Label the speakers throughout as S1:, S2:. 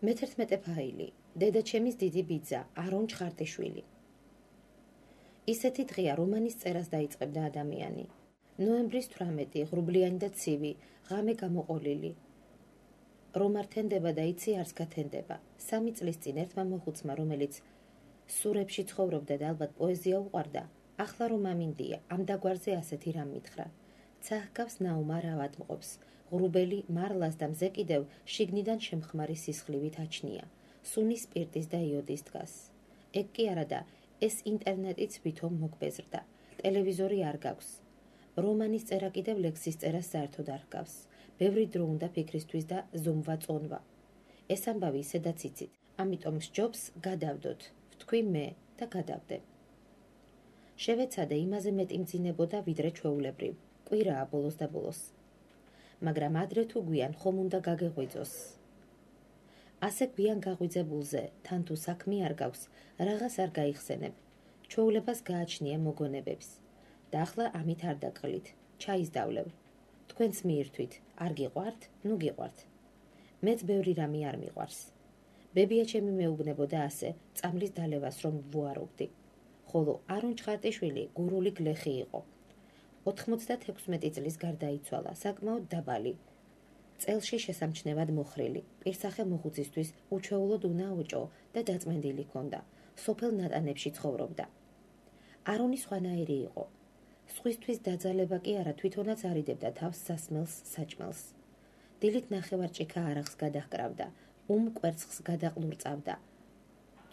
S1: მე-11 ფაილი. დედაჩემის დიდი ბიძა, არონ ჩხარტიშვილი. ისეთი დღეა, რომანის წერას დაიწყებდა ადამიანი. ნოემბრის 18, ღრუბლიანი და ცივი, ღამე გამოყოლილი. რომ არ თენდება და იცი არც გათენდება. 3 წლის წინ ერთმა მოხუცმა, რომელიც სურებში ცხოვრობდა და ალბათ პოეზია უყვარდა, ახლა რომ ამინდია, ამ დაგვარზე ასეთი რამ მითხრა. ცაჰგავს ნაუმა რავადმყოფს, ღრუბელი მარლას და მზე კიდევ შიგნიდან შემხმარი სისხლივით აჩნია. სუნის სპირტის და იოდის დგას. ეგ კი არა და ეს ინტერნეტიც ვითომ მოგბეზრდა. ტელევიზორი არ გაქვს. რომანის წერა კიდევ ლექსის წერას საერთოდ არ ჰგავს. ბევრი დრო უნდა ფიქრისთვის და ზომვა წონვა. ეს ამბავი ისედაც იცით, ამიტომ სჯობს გადავდოთ, ვთქვი მე და გადავდე. შევეცადე იმაზე მეტი მძინებოდა ვიდრე ჩვეულებრივ. კვირაა ბოლოს და ბოლოს. მაგრამ ადრე თუ გვიან ხომ უნდა გაგეღვიძოს. ასე გვიან გაღვიძებულზე, თან თუ საქმე არ გაქვს, რაღაც არ გაიხსენებ. ჩვეულებას გააჩნია მოგონებებს. და ახლა ამით არ დაგყლით, ჩაის დავლევ. თქვენც მიირთვით, არ გიყვართ, ნუ გიყვართ. მეც ბევრი რამე არ მიყვარს. ბებია ჩემი მეუბნებოდა ასე, წამლის დალევას რომ ვუარობდი. ხოლო არონ ჩხარტიშვილი გურული გლეხი იყო. 96 წლის გარდაიცვალა, საკმაოდ დაბალი. წელში შესამჩნევად მოხრილი, პირსახე მოხუცისთვის უჩვეულოდ უნაოჭო და დაწმენდილი ჰქონდა. სოფელ ნატანებში ცხოვრობდა. არონი სხვანაირი იყო. სხვისთვის დაძალება კი არა, თვითონაც არიდებდა თავს სასმელს საჭმელს. დილით ნახევარჭიქა არახს გადაჰკრავდა, კვერცხს გადაყლურწავდა.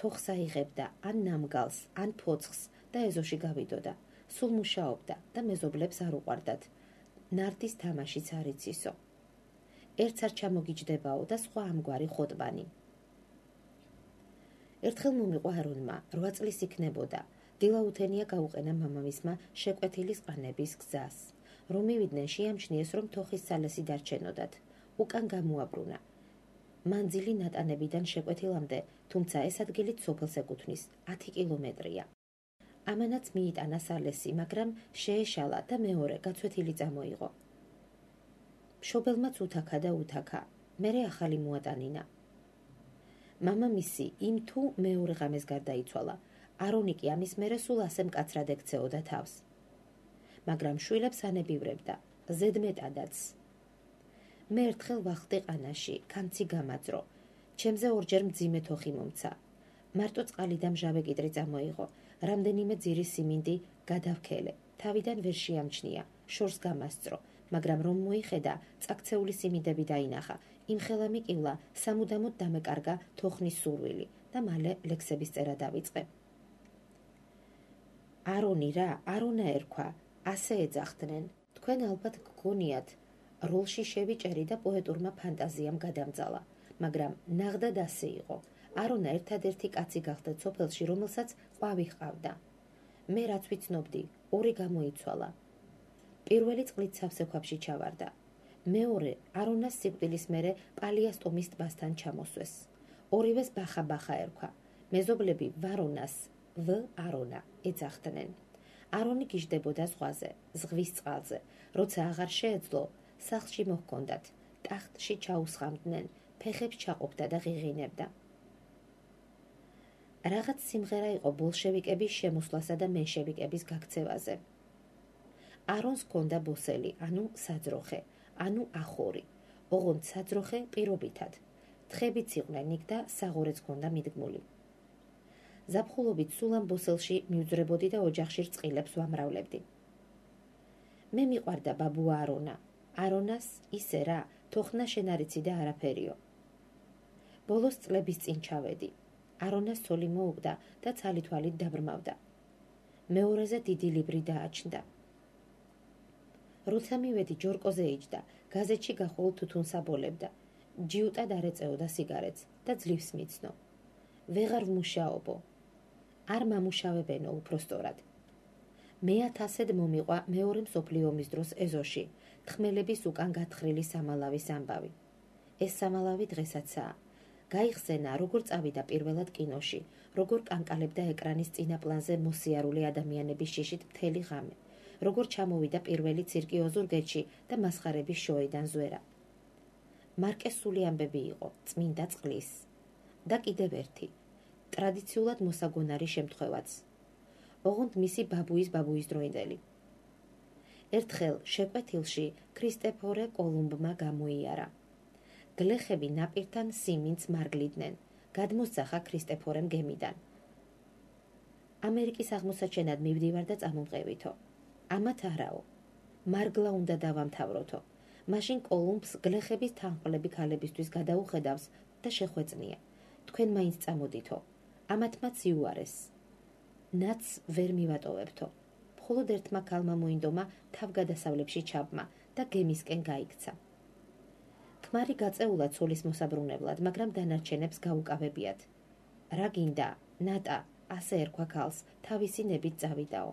S1: თოხს აიღებდა, ან ნამგალს, ან ფოცხს და ეზოში გავიდოდა. სულ მუშაობდა და მეზობლებს არ უყვარდათ. ნარდის თამაშიც არ იცისო. ერთს არ ჩამოგიჯდებაო და სხვა ამგვარი ხოტბანი. ერთხელ მომიყვა არონმა, 8 წლის იქნებოდა. დილაუთენია გაუყენა მამამისმა შეკვეთილის ყანების გზას. რომ მივიდნენ შეამჩნიეს, რომ თოხის სალესი დარჩენოდათ. უკან გამოაბრუნა. მანძილი ნატანებიდან შეკვეთილამდე, თუმცა ეს ადგილით სოფელს ეკუთვნის, 10 კილომეტრია. ამანაც მიიტანა სალესი, მაგრამ შეეშალა და მეორე გაცვეთილი წამოიღო. მშობელმაც უთაქა და უთაქა, მერე ახალი მოატანინა. მამამისი იმ თუ მეორე ღამეს გარდაიცვალა. არონი კი ამის მერე სულ ასე მკაცრად ექცეოდა თავს. მაგრამ შვილებს ანებივრებდა, ზედმეტადაც. მე ერთხელ ვახტი ყანაში, კანცი გამაძრო. ჩემზე ორჯერ მძიმე თოხი მომცა. მარტო წყალი და მჟავე კიტრი წამოიღო. რამდენიმე ძირის სიმინდი გადავქელე. თავიდან ვერ შეამჩნია, შორს გამასწრო, მაგრამ რომ მოიხედა, წაქცეული სიმინდები დაინახა. იმხელა მიკივლა, სამუდამოდ დამეკარგა თოხნის სურვილი და მალე ლექსების წერა დავიწყე. არონი რა, არონა ერქვა, ასე ეძახდნენ. თქვენ ალბათ გგონიათ, როლში შევიჭერი და პოეტურმა ფანტაზიამ გადამძალა, მაგრამ ნაღდად ასე იყო. არონა ერთადერთი კაცი გახდა სოფელში, რომელსაც ყვავი ჰყავდა. მე რაც ვიცნობდი, 2 გამოიცვალა. პირველი წყლით სავსე ქვაბში ჩავარდა. მეორე არონას სიკვდილის მერე პალიასტომის ტბასთან ჩამოსვეს. ორივეს ბახა ერქვა. მეზობლები ვარონას, არონა ეძახდნენ. არონი გიждდებოდა ზღვაზე, ზღვის წყალზე. როცა აღარ შეეძლო, სახლში მოჰქონდათ, ტახტში ჩაუსხამდნენ, ფეხებს ჩაყოფდა და ღიღინებდა. რაღაც სიმღერა იყო ბოლშევიკების შემოსვლასა და მენშევიკების გაქცევაზე. არონს ჰქონდა ბოსელი, ანუ საძროხე, ანუ ახორი. ოღონდ საძროხე პირობითად. თხებიც იყვნენ იქ და საღორეც ჰქონდა მიდგმული. ზაფხულობით სულ ამ ბოსელში მივძვრებოდი და ოჯახში რწყილებს ვამრავლებდი. მე მიყვარდა ბაბუა არონა. არონას ისე რა, თოხნა შენ არ იცი და არაფერიო. ბოლოს წლების წინ ჩავედი. არონას ცოლი მოუგდა და ცალითვალით დაბრმავდა. მეორეზე დიდი ლიბრი დააჩნდა. როცა მივედი, ჯორკოზე იჯდა, გაზეთში გახვალ თუთუნს აბოლებდა. ჯიუტად არ ეწეოდა სიგარეტს და ძლივს მიცნო. ვეღარ ვმუშაობო. არ მამუშავებენო უпроსტორად. მე-1000-ად მომიყვა მეორე მსოფლიო ომის დროს ეზოში, თხმელების უკან გათხრილი სამალავის ამბავი. ეს სამალავი დღესაც-აა. გაიხსენა, როგორ წავიდა პირველად კინოში, როგორ კანკალებდა ეკრანის წინა პლანზე მოსიარული ადამიანების შიშით მთელი ღამე, როგორ ჩამოვიდა პირველი ცირკი ოზურგეთში და მასხარების შოიდან ზვერა. მარკესული ამბები იყო, წმინდა წყლის, და კიდევ ერთი, ტრადიციულად მოსაგონარი შემთხვევაც. ოღონდ მისი ბაბუის დროინდელი. ერთხელ შეკვეთილში ქრისტეფორე კოლუმბმა გამოიარა. გლეხები ნაპირთან სიმინდს მარგლიდნენ, გადმოსძახა ქრისტეფორემ გემიდან. ამერიკის აღმოსაჩენად მივდივარ და წამომყევითო. ამათ არაო. მარგლა უნდა დავამთავროთო. მაშინ კოლუმბს გლეხების თანხმლები ქალებისთვის გადაუხედავს და შეხვეწნია. თქვენ მაინც წამოდითო. ამათ მათ იუარეს. ნაც ვერ მივატოვებთო. მხოლოდ ერთმა ქალმა მოინდომა თავგადასავლებში ჩაბმა და გემისკენ გაიქცა. ქმარი გაწეულა ცოლის მოსაბრუნებლად, მაგრამ დანარჩენებს გაუკავებიათ. რა გინდა, ნატა, ასე ერქვა ქალს, თავისი ნებით წავიდაო.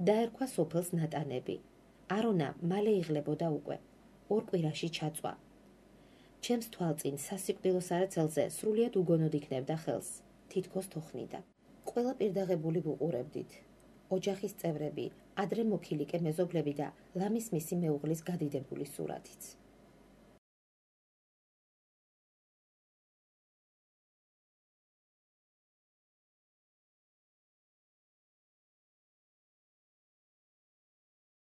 S1: დაერქვა სოფელს ნატანები. არონა მალე იღლებოდა უკვე. 2 კვირაში ჩაწვა. ჩემს თვალწინ სასიკვდილო სარაცელზე სრულიად უგონოდ იქნებდა ხელს, თითქოს თოხნიდა. ყველა პირდაღებული ვუყურებდით. ოჯახის წევრები, ადრე მოქილიკე მეზობლები და ლამის მისი მეუღლის გადიდებული სურათიც.